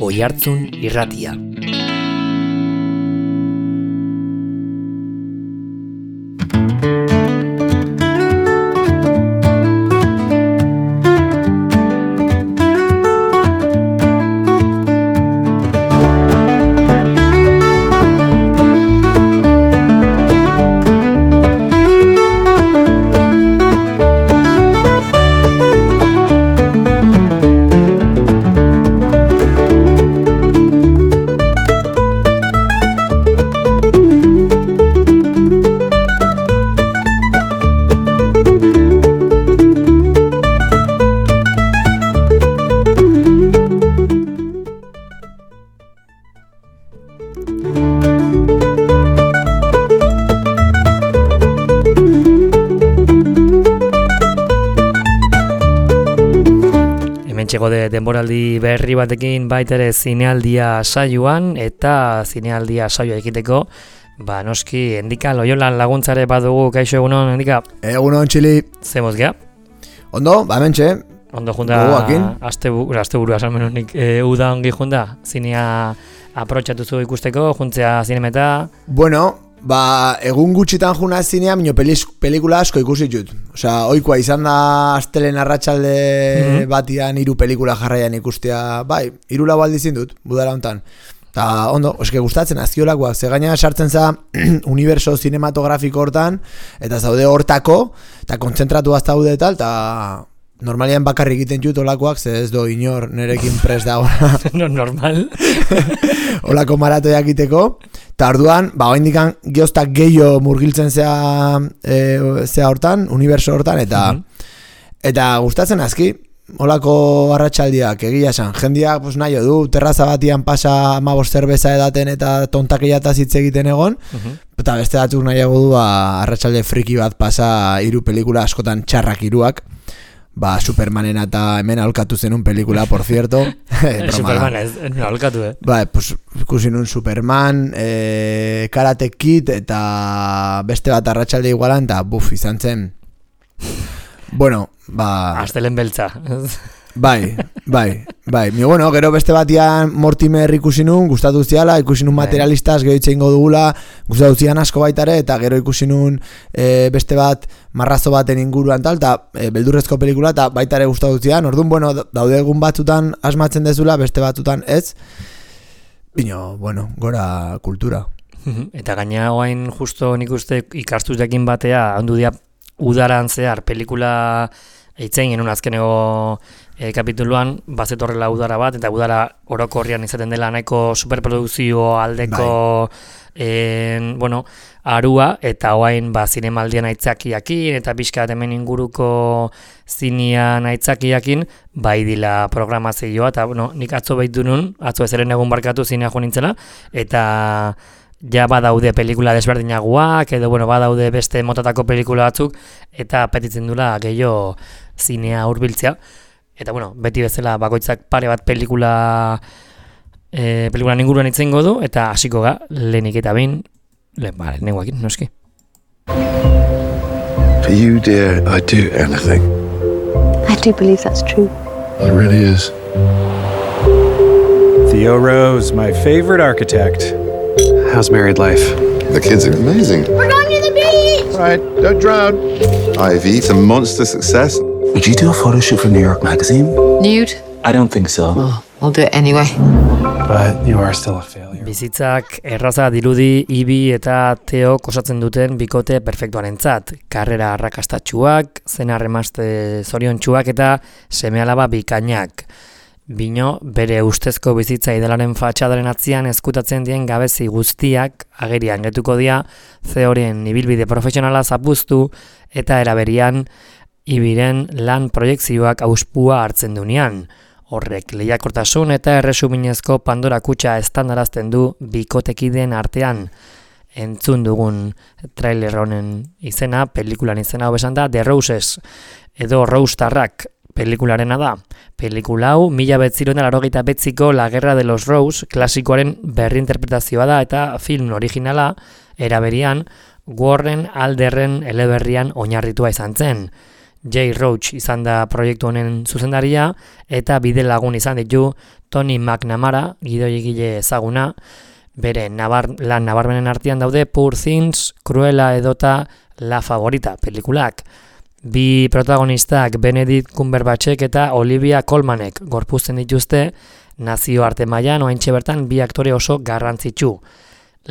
Oihartzun Irratia. De denboraldi berri batekin baitere zinealdia saioan eta zinealdia saioa egiteko noski Endika Loiolan laguntzare badugu. Kaixo, egunon Endika? Egunon Txili. Zemoz gea? Ondo, hementxe. Ondo junda asteburua salmenunik uda ongi junda? Zinea aprotxatuzu ikusteko, juntzea zinemeta? Bueno, egun gutxitan juna zinea, minio pelikula asko ikusi dut. Osea, oikoa izan da astelen arratsalde batian 3 pelikula jarraian ikustea, 3 lau aldiz dut, budala hontan. Ta ondo, eske gustatzen azkiolakoak, ze gaina sartzen za universo cinematografiko hortan, eta zaude hortako, eta kontzentratu zaude eta normalian bakarrik egiten dut olakoak, ze ez do inor nerekin prest dago. No, normal. Olako maratoiak egiteko. Eta orduan, oindikan geoztak gehiago murgiltzen zea hortan, universo hortan, eta gustatzen azki, olako arratsaldiak egia esan. Jendiak nahi du, terraza batian pasa 15 zerbeza edaten eta tontakeiataz hitz egiten egon, eta beste batzuk nahiago du arratsalde friki bat pasa 3 pelikula askotan txarrak 3ak. Supermanen eta hemen aholkatu zenun pelikula, por cierto. Superman ez, aholkatu, pues ikusi nun Superman, Karate Kid eta beste bat arratsalde igualan, eta izan zen. Bueno, Astelen beltza. Bai. Gero beste batian Mortimer ikusi nun, gustatu ziala, ikusi nun materialistaz, gero itxe ingo dugula, gustatu zian asko baitare, eta gero ikusi nun beste bat marrazo baten inguruan tal, eta beldurrezko pelikula, eta baitare gustatu zian. Orduan, daude egun batzutan asmatzen dezula, beste batzutan ez. Bino, gora kultura. Eta gaina oain justo nik uste ikastuz jakin batea, ondu dia udaran zehar pelikula eitzen genuen azkeneko kapituluan, bazetorrela udara bat, eta udara orokorrian izaten dela nahiko superprodukzio aldeko arua, eta oain zinemaldian aitzakiakin, eta pixka hemen inguruko zinean aitzakiakin, dila programazioa, eta nik atzo behitu nun, atzo ezeren egun barkatu zinea jo nintzela, eta ja badaude pelikula desberdinagoak, edo badaude beste motatako pelikula batzuk, eta apetitzen dula gehiago zinea hurbiltzea. Eta beti bezala bakoitzak pare bat pelikulan inguruan itzengo du, eta hasiko ga, lehenik eta behin, lehenengoakin, noski. For you, dear, I'd do anything. I do believe that's true. It really is. Theo Rose, my favorite architect. How's married life? The kids are amazing. We're going to the beach! All right, don't drown. Ivy, it's a monster success. Would you do a photo shoot for New York Magazine? Nude? I don't think so. Well, I'll do it anyway. But you are still a failure. Bizitzak erraza dirudi Ibi eta Theo osatzen duten bikote perfektuarentzat. Karrera arrakastatsuak, zenar emazte zoriontsuak eta seme-alaba bikainak. Bino, bere ustezko bizitza idalaren fatxadaren atzian ezkutatzen dien gabezi guztiak agerian getuko dira, Theoren ibilbide profesionala zapuztu eta eraberian Ibiren lan proiektzioak auspua hartzen dunean. Horrek lehiakortasun eta erresuminezko Pandora kutxa estandarazten du bikotekideen artean. Entzun dugun trailer honen izena, pelikulan izena hobesan da The Roses, edo Roustarrak pelikularena da. Pelikula hau 1989ko La Guerra de los Rose klasikoaren berrinterpretazioa da eta film originala eraberian Warren Alderren eleberrian oinarritua izan zen. Jay Roach izan da proiektu honen zuzendaria, eta bide lagun izan ditu Tony McNamara, gidoigile ezaguna, bere lan nabarmenen artean daude Poor Things, Cruella edota La Favorita pelikulak. Bi protagonistak Benedict Cumberbatchek eta Olivia Colmanek gorpuzten dituzte, nazioarte mailan oraintxe bertan bi aktore oso garrantzitsu.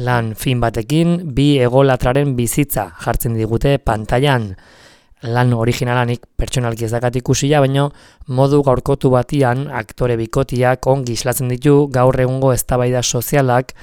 Lan fin batekin bi egolatraren bizitza jartzen digute pantailan. Lan originalanik pertsonalki ez dakat ikusia, baina modu gaurkotu batian aktore bikotiak ongi islatzen ditu gaur egungo eztabaida sozialak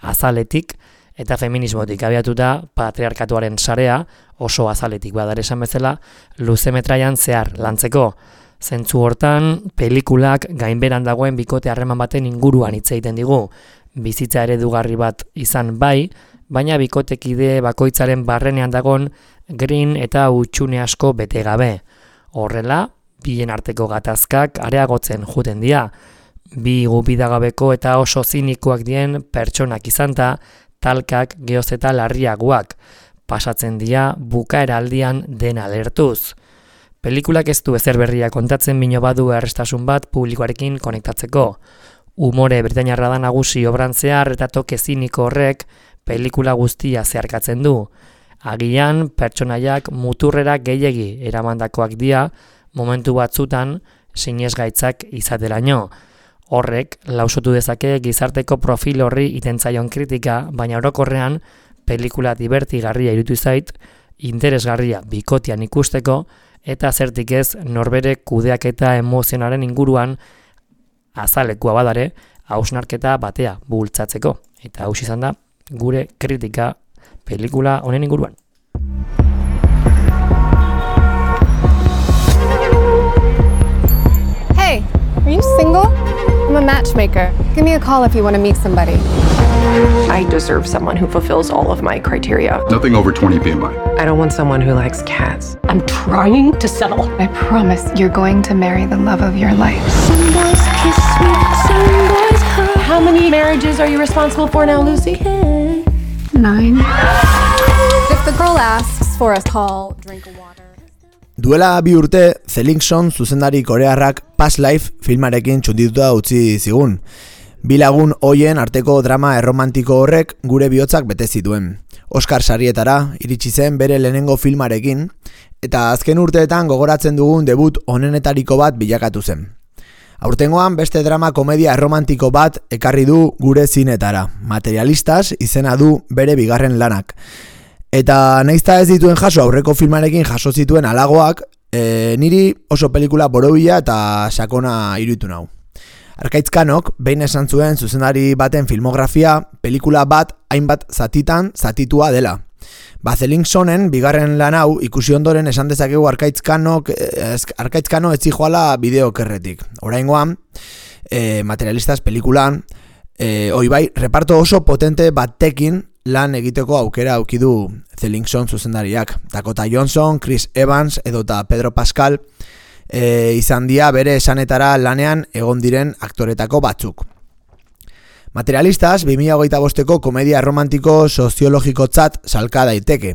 azaletik eta feminismotik abiatuta patriarkatuaren sarea oso azaletik badar esan bezala luzemetraian zehar lantzeko. Zentzu hortan, pelikulak gainberan dagoen bikote harreman baten inguruan hitz egiten digu. Bizitza eredugarri bat izan bai, baina bikotekide bakoitzaren barrenean dagon green eta utxune asko bete gabe. Horrela, bien arteko gatazkak areagotzen juten dira. Bi gubidagabeko eta oso zinikoak dien pertsonak izanta, talkak geoz eta larriagoak. Pasatzen dira bukaera aldian dena lertuz. Pelikulak ez du ezer berria kontatzen bino badu errestasun bat publikoarekin konektatzeko. Umore britainiarra da nagusi obran zehar eta toke ziniko horrek pelikula guztia zeharkatzen du. Agian pertsonaiak muturrera gehiegi eramandakoak dira momentu batzutan sinesgaitzak izateraino. Horrek lausotu dezake gizarteko profil horri itentzaion kritika, baina orokorrean pelikula divertigarria irutu zait, interesgarria bikotian ikusteko, eta zertik ez norbere kudeaketa emozionaren inguruan azalekua badare hausnarketa batea bultzatzeko. Eta haus izan da gure kritika pelikula honen inguruan. Hey, are you single? I'm a matchmaker. Give me a call if you want to meet somebody. I deserve someone who fulfills all of my criteria. Nothing over 20 BMI. I don't want someone who likes cats. I'm trying to settle. I promise you're going to marry the love of your life. Some boys kiss me, some boys hurt. How many marriages are you responsible for now, Lucy? 9. If the girl asks for a call, drink a water. Duela bi urte, Zelinkson zuzendari korearrak Past Life filmarekin txundituta utzi zigun. Bi lagun hoien arteko drama erromantiko horrek gure bihotzak bete zituen. Oscar sarietara iritsi zen bere lehenengo filmarekin, eta azken urteetan gogoratzen dugun debut onenetariko bat bilakatu zen. Aurtengoan beste drama komedia erromantiko bat ekarri du gure zinetara. Materialistas izena du bere bigarren lanak. Eta naizta ez dituen jaso aurreko filmarekin jaso zituen halagoak, niri oso pelikula borobila eta sakona iruditu nau. Arkaitz Kanok behin esan zuen zuzendari baten filmografia pelikula bat hainbat zatitan zatitua dela. Zelinksonen bigarren lan hau ikusi ondoren esan dezakegu Arkaitz Kano ez zijoala bideokerretik. Oraingoan, Materialistas pelikulan, bai, reparto oso potente batekin lan egiteko aukera aukidu Zelinkson zuzendariak. Dakota Johnson, Chris Evans edota Pedro Pascal izan dira bere esanetara lanean egon diren aktoretako batzuk. Materialistas 2025ko komedia romantiko soziologikotzat salka daiteke.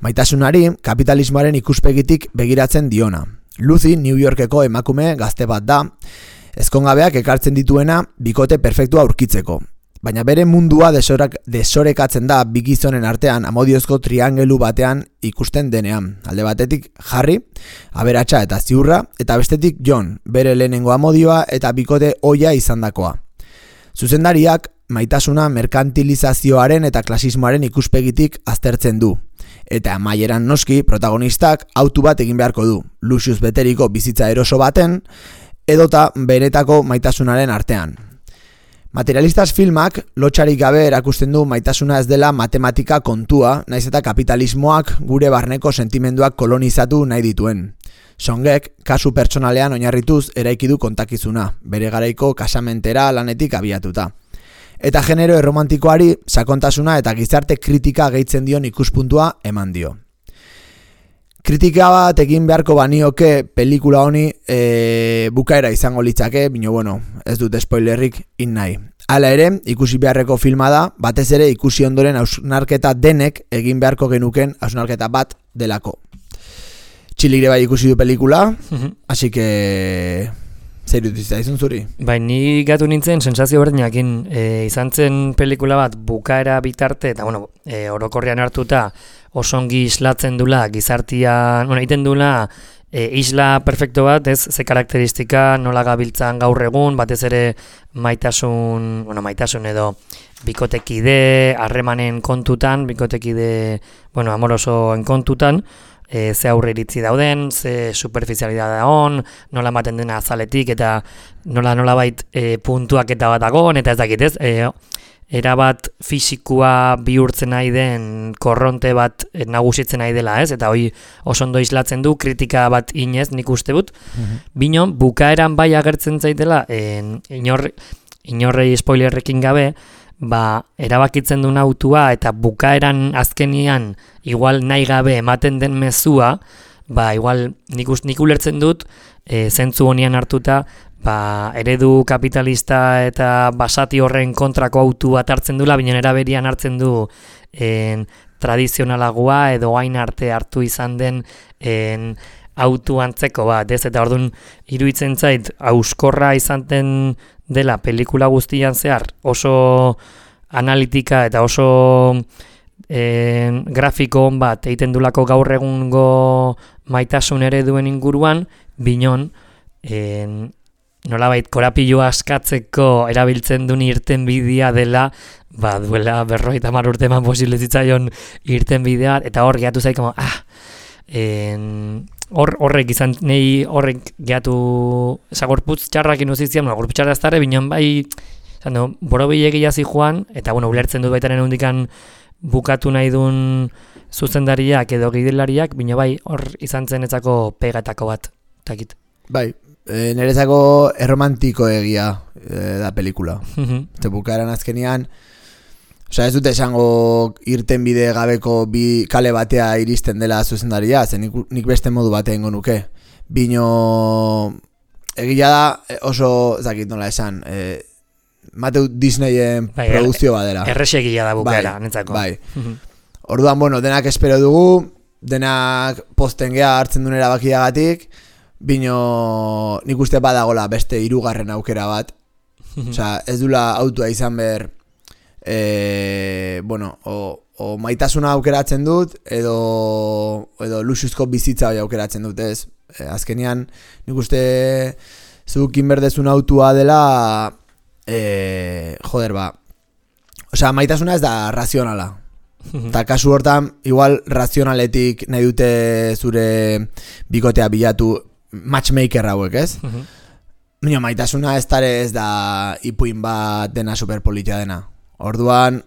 Maitasunari kapitalismoaren ikuspegitik begiratzen diona. Lucy New Yorkeko emakume gazte bat da, ezkongabeak ekartzen dituena bikote perfektua aurkitzeko. Baina bere mundua desorekatzen da bi gizonen artean amodiozko triangelu batean ikusten denean. Alde batetik Harry, aberatsa eta ziurra, eta bestetik John, bere lehenengo amodioa eta bikote ohia izandakoa. Zuzendariak maitasuna merkantilizazioaren eta klasismoaren ikuspegitik aztertzen du. Eta amaieran noski protagonistak autu bat egin beharko du, luxuz beteriko bizitza eroso baten, edota benetako maitasunaren artean. Materialistas filmak lotxarik gabe erakusten du maitasuna ez dela matematika kontua, naiz eta kapitalismoak gure barneko sentimenduak kolonizatu nahi dituen. Songek, kasu pertsonalean oinarrituz eraiki du kontakizuna, bere garaiko kasamentera lanetik abiatuta. Eta genero erromantikoari sakontasuna eta gizarte kritika gehitzen dion ikuspuntua eman dio. Kritika bat egin beharko banioke pelikula honi bukaera izango litzake, bino bueno, ez dut spoilerrik nahi. Hala ere, ikusi beharreko filma da, batez ere ikusi ondoren hausnarketa denek egin beharko genuken hausnarketa bat delako. Txiligre bai ikusi du pelikula, así que... Zer dutizta izun zuri? Bai, ni gatu nintzen sensazio berdinakin, izan zen pelikula bat bukaera bitarte, eta bueno, orokorrean hartuta osongi islatzen dula gizartian, egiten dula isla perfecto bat, ez, ze karakteristika nola gabiltzan gaur egun, batez ere maitasun edo bikotekide, harremanen kontutan, bikotekide, amorosoen kontutan, ze aurre iritzi dauden, ze superficialidad dagoen, nola ematen dena azaletik, eta nola bait puntuak eta bat dagoen, eta ez dakit ez, erabat fisikua bihurtzen nahi den korronte bat nagusitzen nahi dela, ez? Eta hoi oso ondo islatzen du, kritika bat inez nik uste dut. Bino, bukaeran bai agertzen zaitela, inorrei spoilerrekin gabe, erabakitzen duen autua eta bukaeran azkenian igual nahi gabe ematen den mezua, igual nik ulertzen dut, zentzu honian hartuta, eredu kapitalista eta basati horren kontrako autu bat hartzen dula, binen eraberian hartzen du tradizionalagoa edo hain arte hartu izan den autu antzeko bat, ez? Eta orduan iruditzen zait, auskorra izan den dela pelikula guztian zehar, oso analitika eta oso grafiko on bat egiten dulako gaur egungo maitasun ereduen inguruan, binon, nolabait korapilloa askatzeko erabiltzen duen irtenbidea dela, duela 50 urte eman posible zitzaion irtenbidea, eta hor gehatu zaik, horrek izan, nahi horrek gehatu, gorputz txarrak inuzizian, gorputz txarra ez dara, bineon borobile gehiazi joan, eta ulertzen dut baitaren hundikan bukatu nahi duen zuzendariak edo gidilariak, bino hor izan zen etzako pegatako bat, takit. Bai, nerezako erromantiko egia da pelikula. Eta bukaeran azkenian, ez dute esango irtenbide gabeko bi kale batea iristen dela zuzendaria, zen nik beste modu batean nuke. Bino egia da oso, zakit nola esan, Mateu Disneyen produzio badera. Erresegia da bukaera, netzako. Bai. Orduan, denak espero dugu, denak posten geha hartzen duen erabakiagatik, bino nik uste badagola beste 3. aukera bat. Osea, ez dula autua izan behar, o maitasuna aukeratzen dut, edo luxuzko bizitza hori aukeratzen dut, ez? Azkenean, nik uste zukin berdezun autua dela, osea, maitasuna ez da razionala. Eta kasu hortan, igual razionaletik nahi dute zure bikotea bilatu matchmaker hauek, ez? Baina maitasuna ez da ipuin bat dena superpolitia dena. Orduan,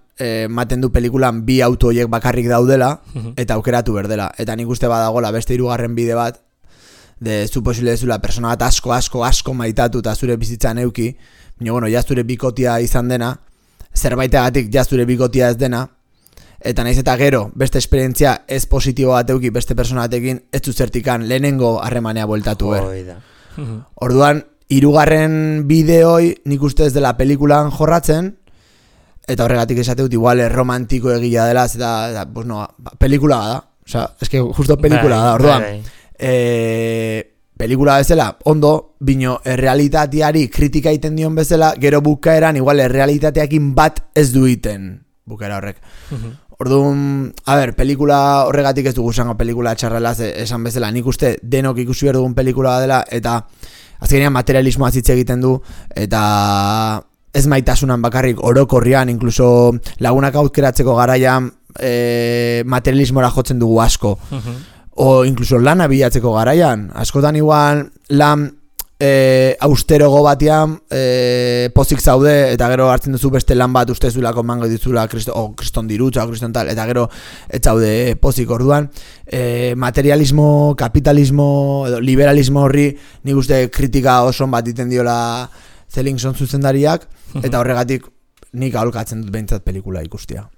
maten du pelikulan bi auto horiek bakarrik daudela, eta aukeratu berdela. Eta nik uste badagola beste 3. bide bat, zu posible dezula persona bat asko maitatu eta zure bizitzan euki, baina, ja zure bikotia izan dena, zerbaitegatik ja zure bikotia ez dena, eta naiz eta gero, beste esperientzia ez positibo bat euki beste persona batekin, ez du zertikan lehenengo harremanea bueltatu ber. Orduan, 3. bideoi nik uste ez dela pelikulan jorratzen, eta horregatik esate dut igual romantiko egia dela, eta pelikula da, osea, eske justo pelikula da, orduan, pelikula bezala, ondo, bino errealitateari kritika iten dion bezala, gero bukaeran igual errealitateakin bat ez duiten bukaera horrek. Orduan, pelikula horregatik ez dugu zango pelikula txarrela esan bezala, nik uste denok ikusi behar dugun pelikula dela, eta azkenean materialismoa hitz egiten du, eta ez maitasunan bakarrik orokorrian, inkluso lagunak aukeratzeko garaian materialismora jotzen dugu asko. O inkluso lana bilatzeko garaian. Askotan igual lan austerogo batean pozik zaude, eta gero hartzen duzu beste lan bat ustezulako mango dituzula kriston dirutza, kriston tal, eta gero ez zaude pozik. Orduan materialismo, kapitalismo edo liberalismo horri nik uste kritika oso bat iten diola Zellingson zuzendariak, eta horregatik nik aholkatzen dut behintzat pelikula ikustia.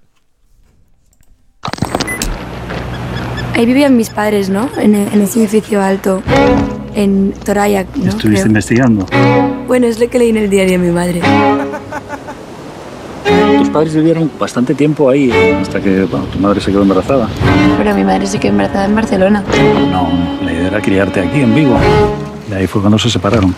Ahí vivían mis padres, ¿no? En ese edificio alto, en Torayak, ¿no? ¿Estuviste investigando? Bueno, es lo que leí en el diario de mi madre. Tus padres vivieron bastante tiempo ahí, hasta que tu madre se quedó embarazada. Pero mi madre se quedó embarazada en Barcelona. No, la idea era criarte aquí, en Vigo. Y ahí fue cuando se separaron.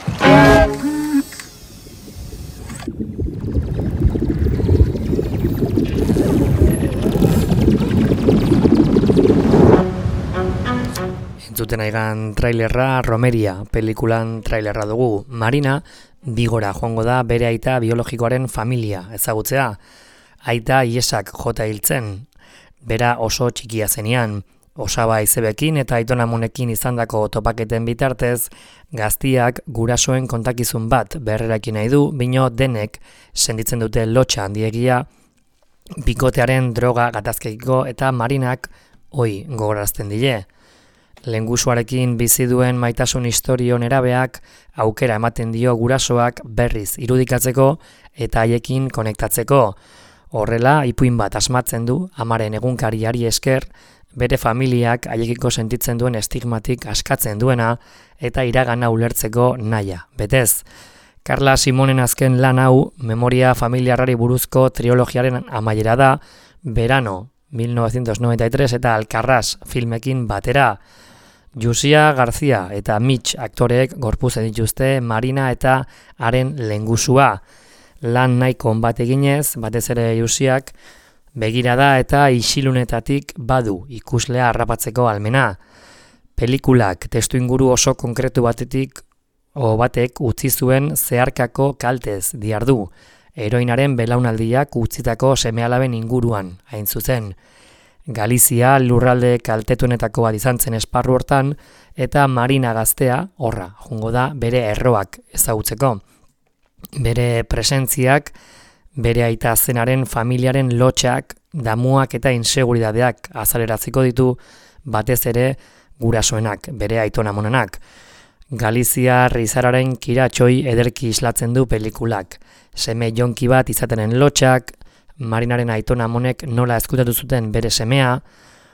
Entzuten aigan trailerra Romeria, pelikulan trailerra dugu. Marina, Bigora joango da bere aita biologikoaren familia ezagutzea. Aita Iesak jota hiltzen, bera oso txikia zenean. Osaba izebekin eta aitonamonekin izandako topaketen bitartez, gaztiak gurasoen kontakizun bat berrerakin nahi du, bino denek senditzen dute lotxa handiegia, bikotearen droga gatazkekiko eta Marinak hoi gogorazten dile. Lengusuarekin bizi duen maitasun istorio nerabeak aukera ematen dio gurasoak berriz irudikatzeko eta haiekin konektatzeko. Horrela, ipuin bat asmatzen du, amaren egunkariari esker, bere familiak haiekiko sentitzen duen estigmatik askatzen duena eta iragana ulertzeko nahia. Betez, Carla Simonen azken lan hau memoria familiarrari buruzko trilogiaren amaiera da, Verano 1993 eta Alcarràs filmekin batera. Jusia García eta Mitch aktoreek gorputzen dituzte Marina eta haren lehengusua. Lan nahiko bat eginez, batez ere Jusiak, begirada eta isilunetatik badu ikuslea harrapatzeko almena. Pelikulak testuinguru oso konkretu batek utzi zuen zeharkako kaltez diardu, heroinaren belaunaldiak utzitako seme-alaben inguruan, hain zuzen. Galizia lurralde kaltetuenetako bat izan zen esparru hortan, eta Marina gaztea, horra, jungo da, bere erroak ezagutzeko. Bere presentziak, bere aita zenaren familiaren lotxak, damuak eta inseguridadeak azaleraziko ditu, batez ere gurasoenak, bere aitonamonenak. Galizia rizararen kiratxoi ederki islatzen du pelikulak. Seme jonki bat izatenen lotxak, Marinaren aitonamonek nola ezkutatu zuten bere semea,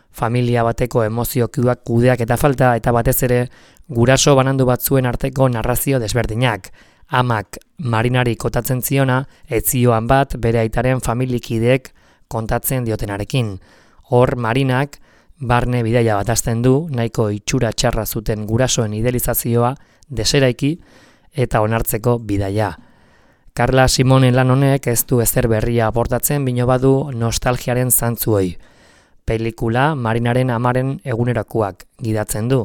familia bateko emozioak kudeak eta falta, eta batez ere guraso banandu batzuen arteko narrazio desberdinak. Amak Marinari kotatzen ziona, etzioan bat bere aitaren familikideek kontatzen diotenarekin. Hor Marinak barne bidaia bat hasten du, nahiko itxura txarra zuten gurasoen idealizazioa deseraiki eta onartzeko bidaia. Carla Simonen lan honek ez du ezer berria aportatzen, bino badu nostalgiaren zantzuoi. Pelikula Marinaren amaren egunerakoak gidatzen du.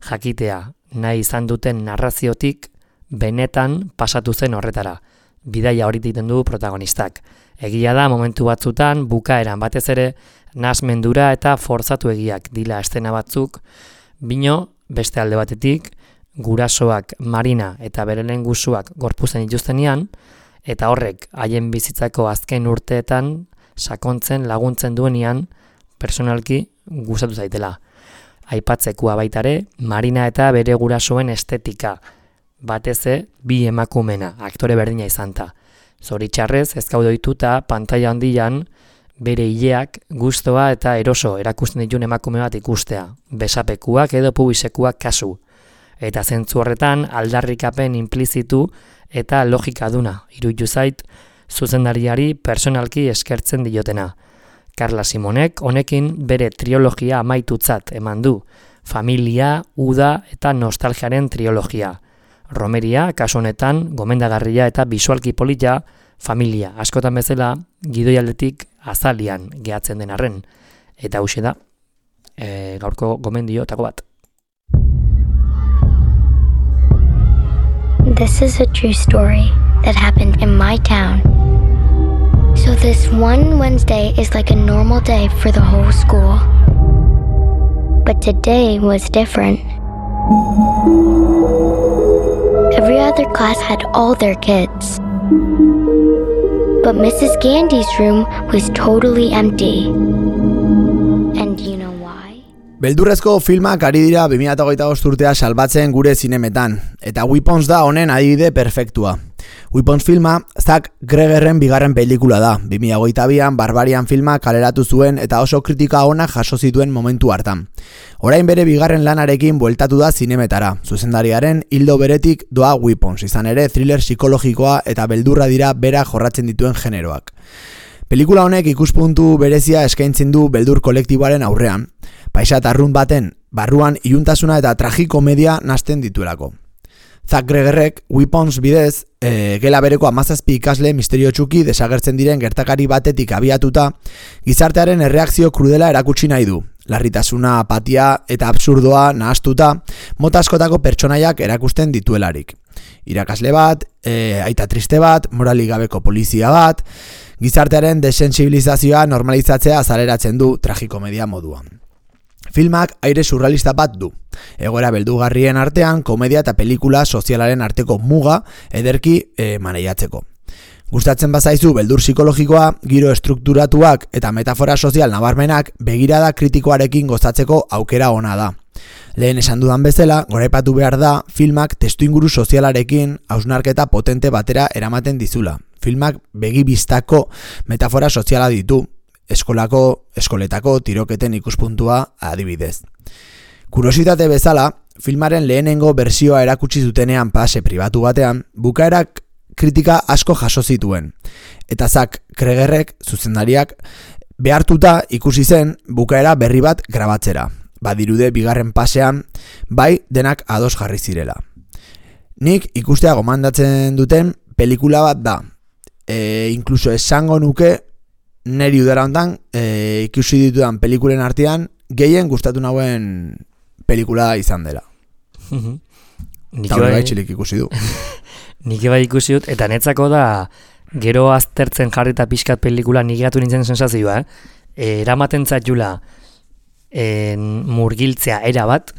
Jakitea, nahi izan duten narraziotik, benetan pasatu zen horretara. Bidaia hori egiten du protagonistak. Egia da momentu batzutan, bukaeran batez ere, nahasmendura eta forzatu egiak dila eszena batzuk, bino beste alde batetik, gurasoak Marina eta bere lehengusuak gorputzen dituztenean, eta horrek haien bizitzako azken urteetan sakontzen laguntzen duenean personalki gustatu zaitela. Aipatzekoa baitare, Marina eta bere gurasoen estetika, bateze bi emakumena, aktore berdina izanta. Zoritxarrez, ez gaude ohituta pantaila handian bere hileak gustoa eta eroso erakusten dituen emakume bat ikustea, besapekuak edo pubisekuak kasu. Eta zentzu horretan aldarrikapen implizitu eta logikaduna iruditu zait zuzendariari personalki eskertzen diotena. Carla Simonek honekin bere trilogia amaitutzat eman du, familia, uda eta nostalgiaren trilogia. Romeria, kasu honetan, gomendagarria eta bisualki polita, familia askotan bezala gidoialdetik azalian gehatzen den arren. Eta hauxe da, gaurko gomendiotako bat. This is a true story that happened in my town. So this one Wednesday is like a normal day for the whole school. But today was different. Every other class had all their kids. But Mrs. Gandy's room was totally empty. And you know why? Beldurrezko filmak ari dira 2025 urtea salbatzen gure zinemetan, eta Weapons da honen adibide perfektua. Weapons filma Zack Gregerren bigarren pelikula da. 2022an Barbarian filma kaleratu zuen eta oso kritika ona jaso zituen momentu hartan. Orain bere bigarren lanarekin bueltatu da zinemetara. Zuzendariaren ildo beretik doa Weapons, izan ere thriller psikologikoa eta beldurra dira bera jorratzen dituen generoak. Pelikula honek ikuspuntu berezia eskaintzen du beldur kolektiboaren aurrean, paisat arrunt baten barruan iluntasuna eta tragikomedia nasten dituelako. Zack Gregerrek Weapons bidez, gela bereko 17 ikasle misterio txuki desagertzen diren gertakari batetik abiatuta, gizartearen erreakzio krudela erakutsi nahi du. Larritasuna, apatia eta absurdoa nahastuta, mota askotako pertsonaiak erakusten dituelarik. Irakasle bat, aita triste bat, moralik gabeko polizia bat, gizartearen desensibilizazioa normalizatzea azaleratzen du tragikomedia moduan. Filmak aire surrealista bat du. Egoera beldugarrien artean, komedia eta pelikula sozialaren arteko muga ederki maneiatzeko. Gustatzen bazaizu beldur psikologikoa, giro estrukturatuak eta metafora sozial nabarmenak begirada kritikoarekin gozatzeko aukera ona da. Lehen esan dudan bezala, goraipatu behar da filmak testuinguru sozialarekin hausnarketa potente batera eramaten dizula. Filmak begibistako metafora soziala ditu, eskoletako tiroketen ikuspuntua adibidez. Kuriositate bezala, filmaren lehenengo bertsioa erakutsi zutenean pase pribatu batean, bukaerak kritika asko jaso zituen. Eta Zack Gregerrek, zuzendariak, behartuta ikusi zen bukaera berri bat grabatzera. Badirude bigarren pasean, bai denak ados jarri zirela. Nik ikustea gomandatzen duten pelikula bat da. Inkluso esango nuke neri udara hontan ikusi ditudan pelikulen artean gehien gustatu nauen pelikula izan dela. Eta hori txilik ikusi du. Nik bai ikusi dut, eta netzako da gero aztertzen jarri eta pixkat pelikula nik gatu nintzen sensazioa, eramaten zaitula murgiltzea era bat,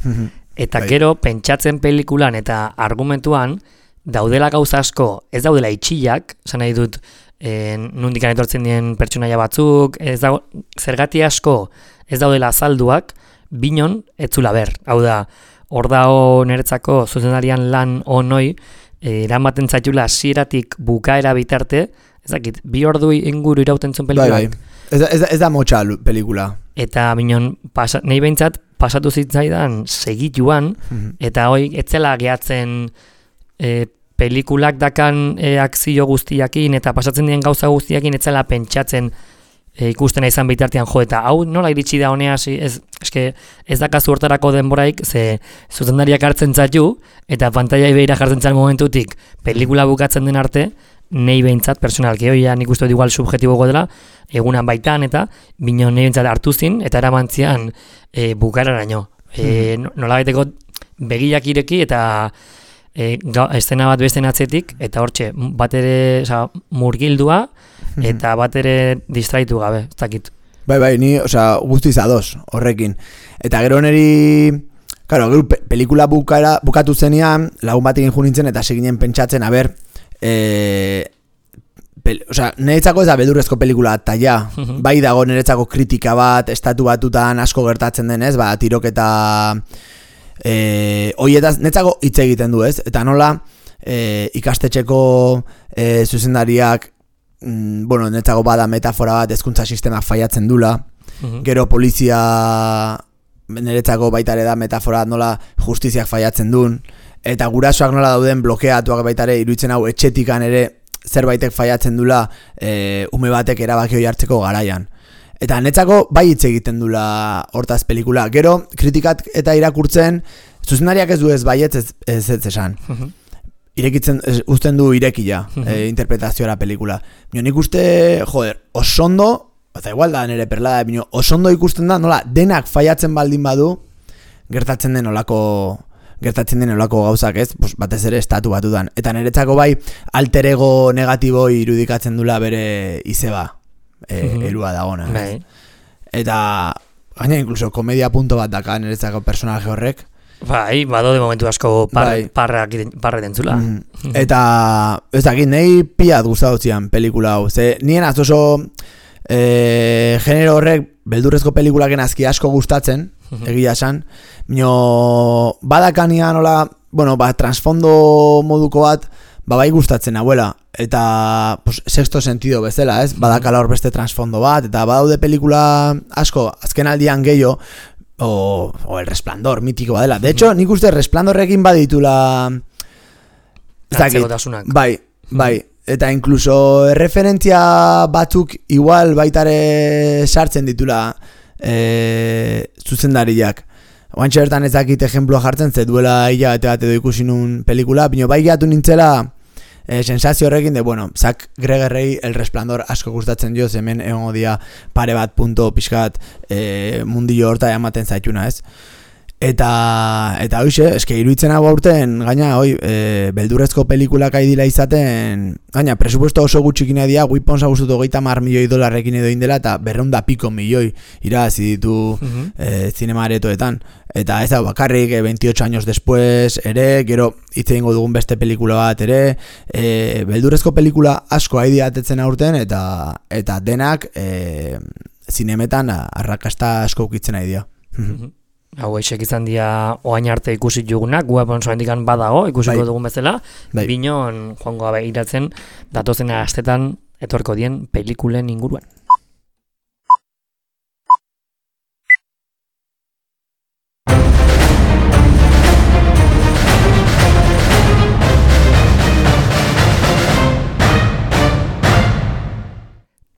eta gero pentsatzen pelikulan eta argumentuan daudela gauza asko, ez daudela itxillak, esan nahi dut, nundikan etortzen dien pertsonaia batzuk, zergati asko ez daudela azalduak, binon etzula ber. Hau da, hor dago niretzako zuzendarian lan onoi, eramaten zaitula hasieratik bukaera bitarte, ezakit, 2 ordu inguru irauten zuen pelikulak. Ez da motxa pelikula. Eta binon, nahi behintzat, pasatu zitzaidan segituan, eta hoi, etzela gehatzen pelikulak dakan akzio guztiakin eta pasatzen dien gauza guztiakin etzela pentsatzen ikustena izan bitartean jo, eta hau nola iritsi da honea, ez dakazu hortarako denboraik, ze zuzendariak hartzen zaitu, eta pantaiai behira jartzen zan momentutik pelikula bukatzen den arte, nahi behintzat, personalki, nik uste igual subjetibogo dela, egunan baitan, eta bino nahi behintzat hartu zin, eta eramantzian bukararaino. Nola baiteko begiak ireki, eta estena bat besten atzetik, eta hortxe, bat ere murgildua, eta bat ere distraitu gabe, ez dakit. Bai, ni, guztiz ados, horrekin. Eta gero neri, gero pelikula bukatu zenean, lagun batekin junintzen, eta seginen pentsatzen, niretzako ez da beldurrezko pelikula, eta ja, bai dago niretzako kritika bat, estatu batutan asko gertatzen denez, tiroketa hoietaz, netzako hitz egiten du, ez? Eta nola ikastetxeko zuzendariak netzako bada metafora bat hezkuntza sistemak faiatzen dula, gero polizia niretzako baitare da metafora nola justiziak faiatzen duen, eta gurasoak nola dauden blokeatuak baitare iruditzen hau etxetikan ere zerbaitek faiatzen dula ume batek erabaki hori hartzeko garaian. Eta netzako bai hitz egiten dula hortaz pelikula. Gero, kritikat eta irakurtzen, zuzendariak ez du ez baietz ez esan. Irekitzen, uzten du irekia interpretazioa pelikula. Nik uste, osondo, eta igual da nire perlada, osondo ikusten da, nola, denak faiatzen baldin badu, gertatzen den olako gauzak ez, batez ere estatu batutan. Eta niretzako bai, alter ego negatibo irudikatzen dula bere izeba. Erua dagona. Eta gaina inkluso komedia punto bat daka niretzako personaje horrek. Bai, bado de momentu asko parre dentzula. Eta ez dakit, nahi piat gustatu zian pelikula hau. Ze nien oso genero horrek beldurrezko pelikulaken azki asko gustatzen, egia esan. Badakania nola, transfondo moduko bat, bai gustatzen abuela, eta pues, sexto sentido bezala, ez? Badakala hor beste transfondo bat, eta badaude pelikula asko, azken aldian gehiago, o El Resplandor, mitiko badela. De hecho, nik uste Resplandorrekin baditula... Atzegotasunak. Bai. Eta incluso referentzia batzuk igual baitare sartzen ditula zuzendariak. Oantxe bertan ez dakit ejemploa jartzen, ze duela hilabete bat edo ikusi nun pelikula, bino bai gehatu nintzela sensazio horrekin de, bueno, Zack Gregerrei El Resplandor asko gustatzen dio, hemen egongo dia pare bat punto pixkat mundillo horta ematen zaituna, ez? Eta hoxe, eske iruditzen hau aurten, gaina, beldurrezko pelikulak aidila izaten, gaina, presupuesto oso gutxikina dira, Weapons agustut $30 milioi edo indela, eta 200 pico milioi irabazi ditu zinemaretoetan. Eta ez da, bakarrik, 28 años después ere, gero hitz egingo dugun beste pelikula bat ere, beldurrezko pelikula asko aidila atetzen aurten, eta denak zinemetan arrakasta asko ukitzen aidila. Hau eixek izan dira oain arte ikusi jugunak, Weapons handikan badago, ikusiko dugun bezala, binon joango iratzen datozen astetan etorko dien pelikulen inguruan.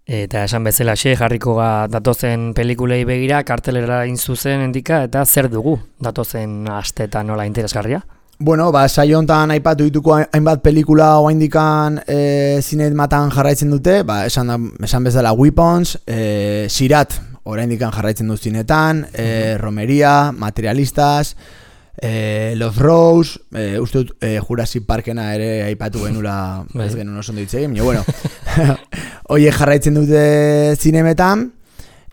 Eta esan bezala jarriko datozen pelikulei begira, kartelera zuzen endika, eta zer dugu datozen astetan nola interesgarria? Bueno, saio hontan aipatu dituko hainbat pelikula oraindikan zinematan jarraitzen dute, esan bezala Weapons, Sirat oraindikan jarraitzen du zinetan, Romeria, Materialistas, Los Rose, uste dut Jurassic Parkena ere aipatu genula, ez genuen oso ondo ditzegin, bueno, oie jarraitzen dute zinemetan,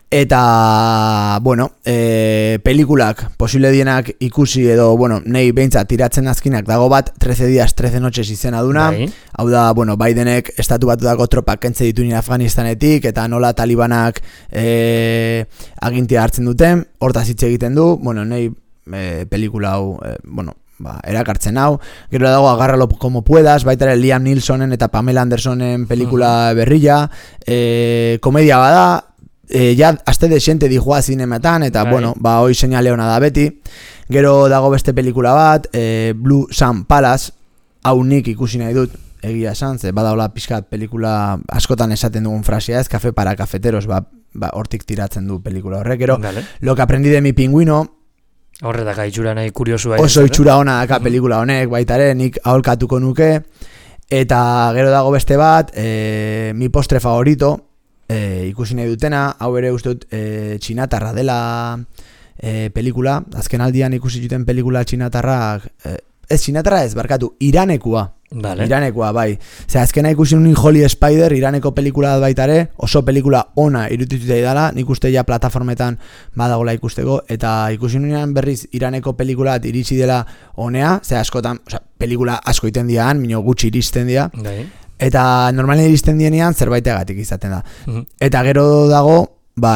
eta, bueno, pelikulak posible dienak ikusi edo, bueno, nahi behintzat tiratzen azkinak dago bat 13 días, 13 noches izena duna, hau da, bueno, Bidenek estatu batutako tropak kentze ditu Afganistanetik, eta nola talibanak agintia hartzen duten, hortaz hitz egiten du, bueno, nahi pelikula hau, erakartzen hau, gero dago Agárralo como puedas, baita ere Liam Neesonen eta Pamela Andersonen pelikula berrilla, komedia bada, ja aste desente dijoa zinemetan, eta bueno, hoi seinale ona da beti. Gero dago beste pelikula bat, Blue Sun Palace, hau nik ikusi nahi dut, egia esan, ze badaola pixkat pelikula askotan esaten dugun frasia ez, Café para cafeteros, hortik tiratzen du pelikula horrek, gero Lo que aprendí de mi pingüino, horretaka itxura nahi kuriosua. Oso itxura ona daka pelikula honek, baitare, nik aholkatuko nuke. Eta gero dago beste bat, mi postre favorito, ikusi nahi dutena, hau ere uste dut txinatarra dela pelikula, azken aldian ikusi duten pelikula txinatarrak, ez txinatarra ez, barkatu, Iranekua. Iranekua, bai. Azkena ikusi nun Holy Spider, Iraneko pelikula baitare, oso pelikula ona irudituta dela, nik uste ja plataformetan badagola ikusteko, eta ikusi nunean berriz Iraneko pelikula iritsi dela onea, askotan, pelikula asko iten dian, mino gutxi iristen dira, eta normalen iristen dienean zerbaitegatik izaten da. Eta gero dago,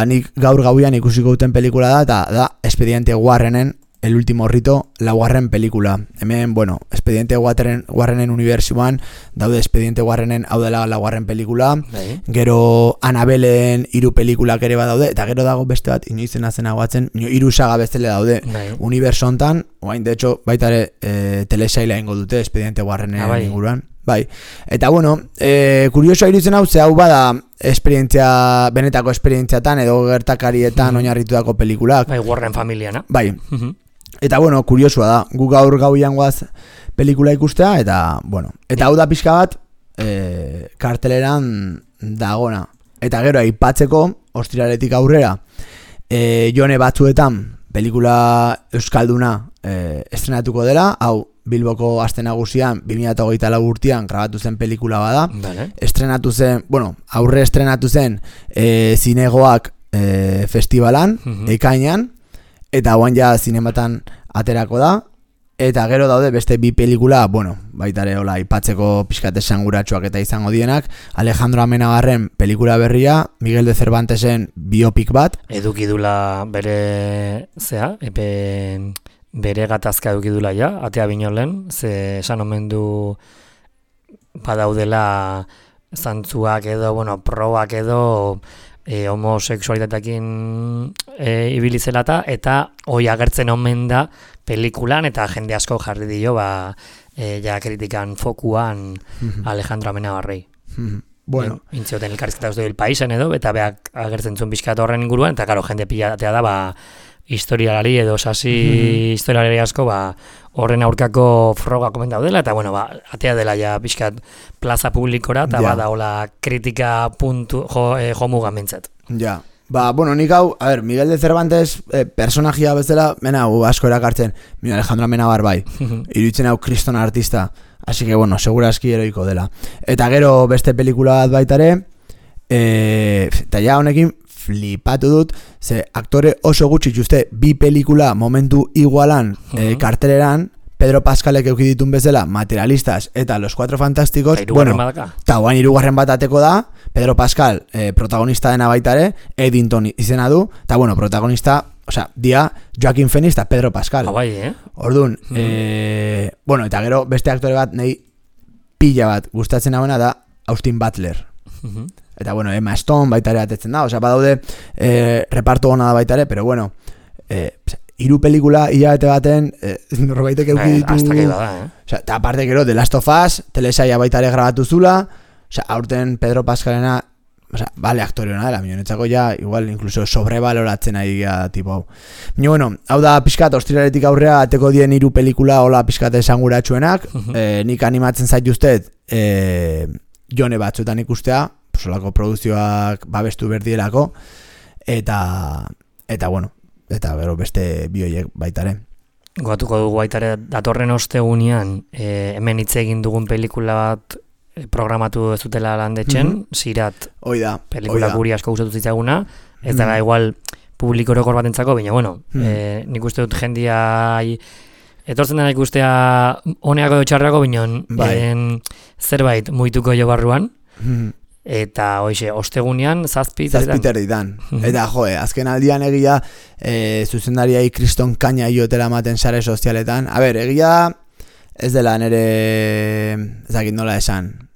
nik gaur gauian ikusiko duten pelikula da, eta da Expediente Warrenen El último rito, laugarren pelikula. Hemen, bueno, Expediente Warrenen unibertsioan, daude Expediente Warrenen hau dela laugarren pelikula, gero Annabellen 3 pelikulak ere badaude, eta gero dago beste bat, inoizena zen aguatzen, 3 saga bestele daude unibertso hontan, oain, de hecho, baita ere telesaila ingo dute Expediente Warrenen inguruan. Bai, eta bueno, kuriosoa iruditzen hau, ze hau bada benetako esperientziatan edo gertakarietan oinarritutako pelikulak. Bai, Warren familiana. Bai, eta bueno, kuriosua da, gu gaur gauian guaz pelikula ikustea, eta bueno, eta hau da pixka bat karteleran dagona. Eta gero, aipatzeko, ostiraretik aurrera, jone batzuetan pelikula euskalduna estrenatuko dela, hau Bilboko aste nagusian 2024 urtean grabatu zen pelikula bada. Estrenatu zen, bueno, aurre estrenatu zen zinegoak festivalan, ekainan, eta guan ja zinematan aterako da, eta gero daude beste bi pelikula, bueno, baitare hola aipatzeko pixkat esanguratsuak eta izango dienak, Alejandro Amenabarren pelikula berria, Miguel de Cervantesen biopik bat. Eduki dula bere, bere gatazka edukidula ja, atea binolen, ze esan omen du badaudela zantzuak edo, probak edo homoseksualitateakin ibili zelata, eta hoi agertzen omen da pelikulan, eta jende asko jarri dio, ja kritikan fokuan Alejandro Amenabarrei. Bueno. Intzioten elkarrizketa uste El Paisen edo, eta beak agertzen zuen pixkat horren inguruan, eta karo, jende pilatea da, historialari edo sasi historialari asko, horren aurkako froga komen daudela, eta atea dela ja pixkat plaza publikora, eta badaola kritika jomugan bintzat. Ja. Nik hau, Miguel de Cervantes personajia bezala, asko erakartzen, Alejandro Amenabar bai, iruditzen hau kriston artista, así que segurazki heroiko dela. Eta gero beste pelikula bat baitare, eta ja honekin flipatu dut, ze aktore oso gutxi uste bi pelikula momentu igualan karteleran, Pedro Pascalek euki ditun bezala, Materialistas eta Los Cuatro Fantásticos, eta guain hirugarren bat ateko da, Pedro Pascal protagonista dena baitare, Eddington izena du, eta protagonista, dia Joaquin Phoenix eta Pedro Pascal. Orduan, eta gero beste aktore bat, nahi pila bat gustatzen hauena da Austin Butler. Eta Emma Stone baitare atetzen da, badaude reparto gona da baitare, pero hiru pelikula hilabete baten norbaitek euki ditu. Hasta que bada, Eta aparte gero The Last of Us, telesaia baitare grabatu zula, aurten Pedro Pascalena, bale aktore hona dela, minetzako ja, igual, incluso sobrevaloratzen ari tipo hau. Hau da pixkat, ostiraletik aurrea, ateko dien hiru pelikula, hola pixkat esanguratsuenak, nik animatzen zaituztet, jone batzuetan ikustea, solako produzioak babestu berdielako, eta gero beste bioiek baitare. Goatuko dugu baitare, datorren ostegunean, hemen hitz egin dugun pelikula bat programatu ez dutela landetxen, Sirat, pelikula guri asko gustatu zitzaguna, ez dara igual publiko orokor batentzako, baina nik uste dut jendia etortzen dena ikustea honeako edo txarrako, baina zerbait muituko jo barruan, eta ostegunean zazpiterditan. Eta azken aldian egia zuzendariai kriston kaina iotela ematen sare sozialetan. Egia ez dela nire ezakit nola esan.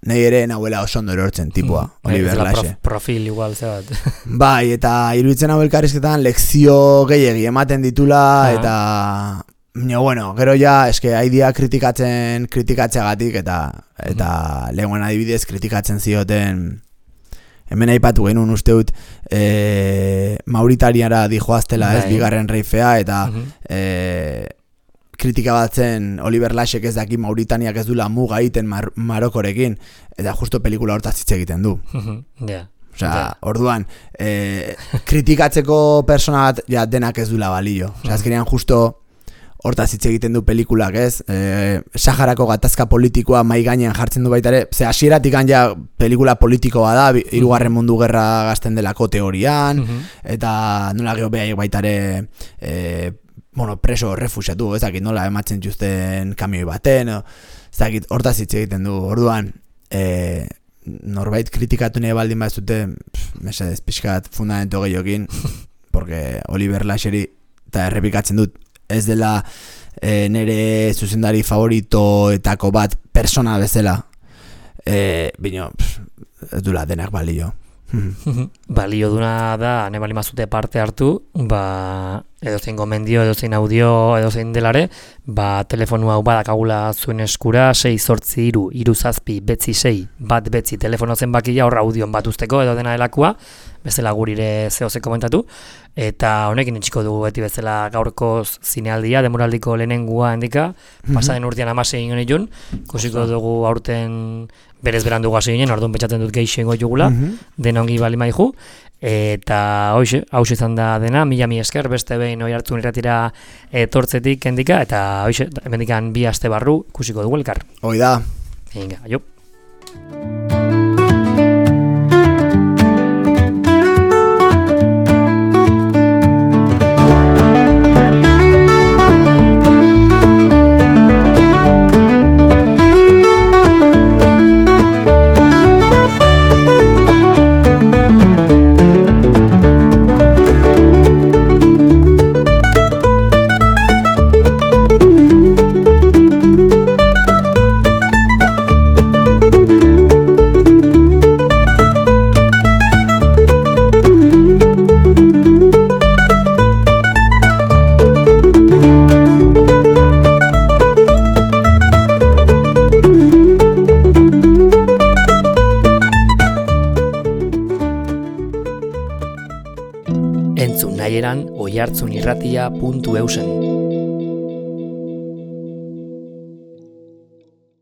Nei ere nahuela oso ondo erortzen tipua, Oliver Laxe. Profil igual zebat. Bai, eta iruditzen hau elkarrizketan lekzio gehiegi ematen ditula, eta gero ja, eske haidea kritikatzeagatik, eta lehenguan adibidez kritikatzen zioten, hemen aipatu genuen uste dut, Mauritaniara dijoaztela, ez, bigarren reifea, eta kritika batzen Oliver Laxek ez daki Mauritaniak ez dula muga egiten Marokorekin, eta justo pelikula hortaz hitz egiten du. Orduan, kritikatzeko persona bat denak ez dula balio. Azkenean justo hortaz hitz egiten du pelikulak, ez? Saharako gatazka politikoa mai gainean jartzen du baita ere, ze hasieratik ja pelikula politikoa da, hirugarren mundu gerra gazten delako teorian, eta nola geho behaiek baita ere preso refusiatu, ezakit nola ematzen juzten kamioi baten, ezakit hortaz hitz egiten du. Orduan, norbait kritikatu nahi baldin bat zute, mesedez pixkat fundamento gehiokin, porque Oliver Laxeri, eta errepikatzen dut, ez dela nire zuzendari favoritoetako bat persona bezala, bino, ez dula denak balio. Balio duna da, ne bali mazute parte hartu, edozein gomendio, edozein audio, edozein delare, telefonu hau badakagula zuen eskura, 683-376-1 telefono zenbakia hor audion bat usteko edo dena delakua, bezala gurire zehose komentatu, eta honekin itxiko dugu beti bezala gaurko zinealdia, demoraldiko lehenengua hendika, pasaden urtean 16 ingen itun, kusiko dugu aurten berez berandu hasi ginen, orduan betxatzen dut geixo ingo jugula, denongi bali maizu, eta hau izan da dena, mila esker, beste behin hoi hartu irratira etortzetik hendika, eta hemendikan 2 aste barru kusiko dugu elkar. Hoi da. Venga, aio. Amaieran oihartzunirratia.eusen.